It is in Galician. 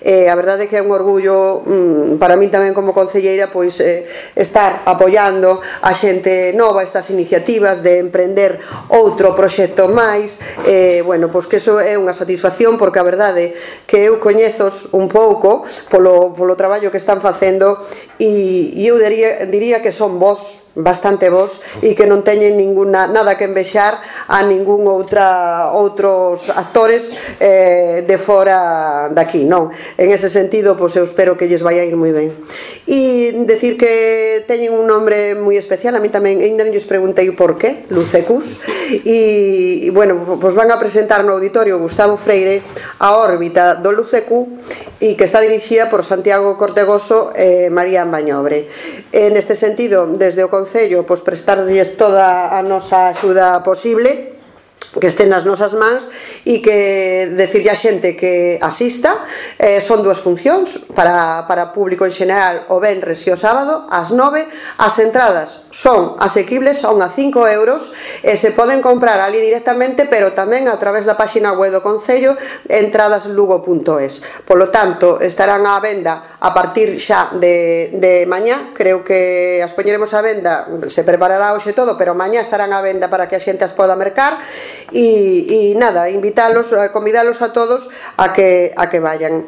A verdade é que é un orgullo para min tamén como concelleira pois estar apoiando a xente nova, estas iniciativas de emprender outro proxecto máis. Bueno, pois que eso é unha satisfacción, porque a verdade que eu coñezos un pouco polo traballo que están facendo, e eu diría que son vos, bastante vos, e que non teñen nada que envexar a ningún outros actores de fora daqui, non? En ese sentido, pois eu espero que lles vai a ir moi ben. E decir que teñen un nombre moi especial, a mí tamén, ainda non lles preguntei por qué, Lucecus, e bueno, pois van a presentar no auditorio Gustavo Freire a órbita do Lucecu, e que está dirixida por Santiago Cortegoso e Marían Bañobre. Neste sentido, desde o Concello, pois prestarlles toda a nosa axuda posible, que estén nas nosas mans, e que decirlle a xente que asista. Son dúas funcións para público en xeral, o venres e o sábado ás 9. As entradas son asequibles, son a 5 euros, e se poden comprar ali directamente, pero tamén a través da páxina web do Concello, entradaslugo.es. Polo tanto, estarán á venda a partir xa de mañá. Creo que as poñeremos á venda, se preparará hoxe todo, pero mañá estarán á venda para que a xente as poda mercar. E nada, invitarlos, convidarlos a todos a que vayan.